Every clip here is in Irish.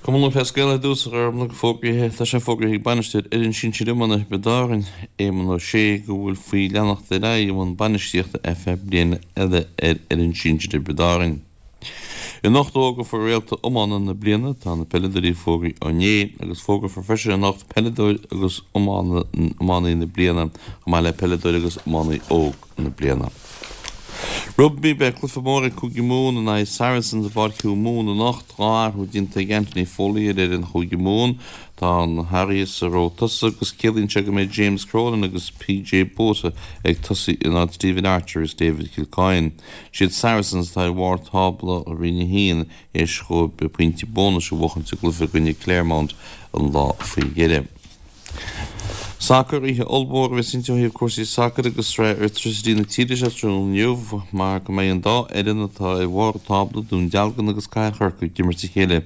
Cumann Lúthchleas Gael ar dtús, a Ghormlaigh, fógraithe, tá sé fógraithe ag bainisteoir fhoireann sinsir iomána Thiobraid Árann, Éamonn Ó Sé, go bhfuil faoi leanacht ar aghaidh i mbun bainistíochta ar feadh bliana eile ar fhoireann sinsir Thiobraid Árann. Anocht fógrófar réalta iomána na bliana, tá na peileadóirí fógraithe inné agus fógrófar freisin anocht peileadóir agus iománaí na bliana chomh maith le peileadóir agus iománaí óg. na bliana. Rugbaí, Beidh cluiche mór ag Cúige Mumhan in aghaidh Saracens i bPáirc Hugh Mumhan anocht. 2 athrú déanta ag Anthony Foley ar fhoireann Chúige Mumhan. Tá na hathruithe sa ró tosaigh agus ciallaíonn sé go mbeidh James Cronin agus PJ Botha ag tosaí in áit Stephen Archer agus David Kilcoyne. Siad Saracens atá ar bharr tábla Roinn 1 théis dhóibh pointí bónais a bhuachaint sa gcluiche i gcoinne Clermont an lá faoi dheireadh. Sacar, Oíche ollmhór a bheas inti ó thaobh cúrsaí sacair agus Sraith Airtricity na tíre seo tráthnóna inniu mar go mbeidh an dá fhoireann atá ar bharr an tábla, Dún Dealgan agus Cathair Chorcaí, ag imirt a chéile.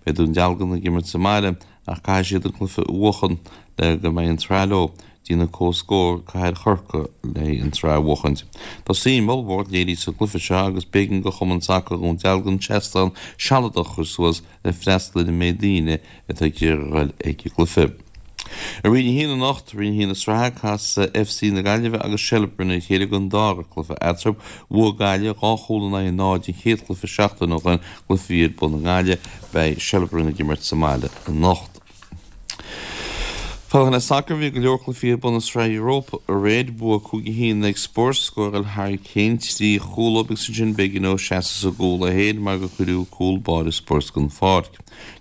Beidh Dún Dealgan ag imirt sa mbaile ach caithfidh siad an cluiche a bhuachan le go mbeidh an tsraith leo. Déanamh comhscór Cathair Chorcaí le an tsraith a bhuachaint. Tá suim ollmhór léirithe sa gcluiche seo agus b'éigean do Chumann Sacair Dhún Dealgan seastán sealadach a chur suas le freastal ar an méid daoine atá ag iarraidh a dhul ag an gcluiche. I Roinn 1 anocht, Roinn 1 na sraithe, casfaidh FC na Gaillimhe agus Shelbourne ar a chéile don dara cluiche eatarthu. Bhuaigh Gaillimh 2 chúl in aghaidh 0 an chéad chluiche seachtain ó shin, cluiche a bhí ar bun i nGaillimh. Beidh Shelbourne ag imirt sa mbaile anocht. Fanacht le sacar, bhí go leor cluichí ar bun i Sraith Europa aréir. Bua 5-1 ag Spurs, scóráil Harry Kane 3 chúl agus ansin b'éigean dó seasamh sa gcúl é féin mar gur cuireadh cúl báire Spurs den pháirc.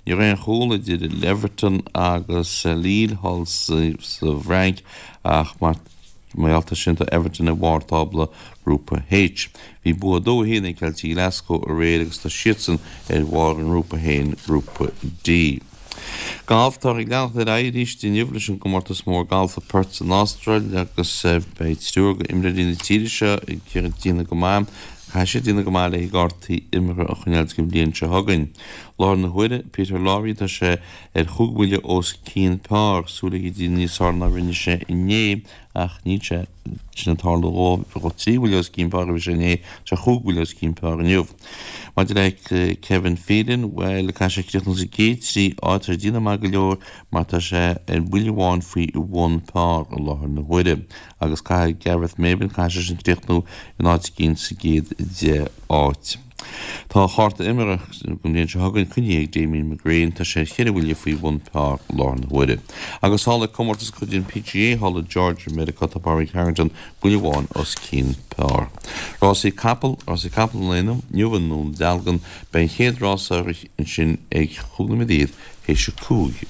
Ní raibh aon chúl idir Everton agus Lille thall sa bhFrainc ach mar gheall air sin tá Everton ar bharr tábla Ghrúpa H. Bhí bua 2-1 ag Celtic Glasgow aréir agus tá siadsan ar bharr a ngrúpa féin, Grúpa D. Galf, Táthar ag leanacht ar aghaidh arís inniu leis an gcomórtas mór galf i Perth san Astráil agus beidh triúr d'imreoirí na tíre seo ag iarraidh déanamh go maith. Caithfidh siad déanamh go maith le cártaí imeartha a choinneáil don bhliain seo chugainn. Láthair na huaire, Peter Lawrie, tá sé ar chúig bhuille os cionn pár, súil aige déanamh níos fearr ná rinne sé inné ach níl sé sin ag tarlú dhó, 3 bhuille os cionn pár a bhí sé inné, tá sé chúig bhuille os cionn pár inniu. Maidir le Kevin Phelan, bhuel, caithfidh sé críochnú sa gcéad 3 áit, tá sé ag déanamh maith go leor mar tá sé ar bhuille amháin faoi bhun pár i láthair na huaire. Agus caithfidh Gareth Maybin, caithfidh seisean críochnú in áit eicínt sa gcéad 10 áit. Tá a chárta imeartha don bhliain seo chugainn coinnithe ag Damien McGrane, tá sé ar cheithre bhuille faoi bhun pár i láthair na huaire. Agus thall ag comórtas de chuid an PGA thall i Georgia, Meiriceá, tá Pádraig Harrington buille amháin os cionn pár. Rásaí capall, Rásaí capall an lae inniu i nDún Dealgan, beidh an chéad rás á rith ansin ag chúig nóiméad théis a 5.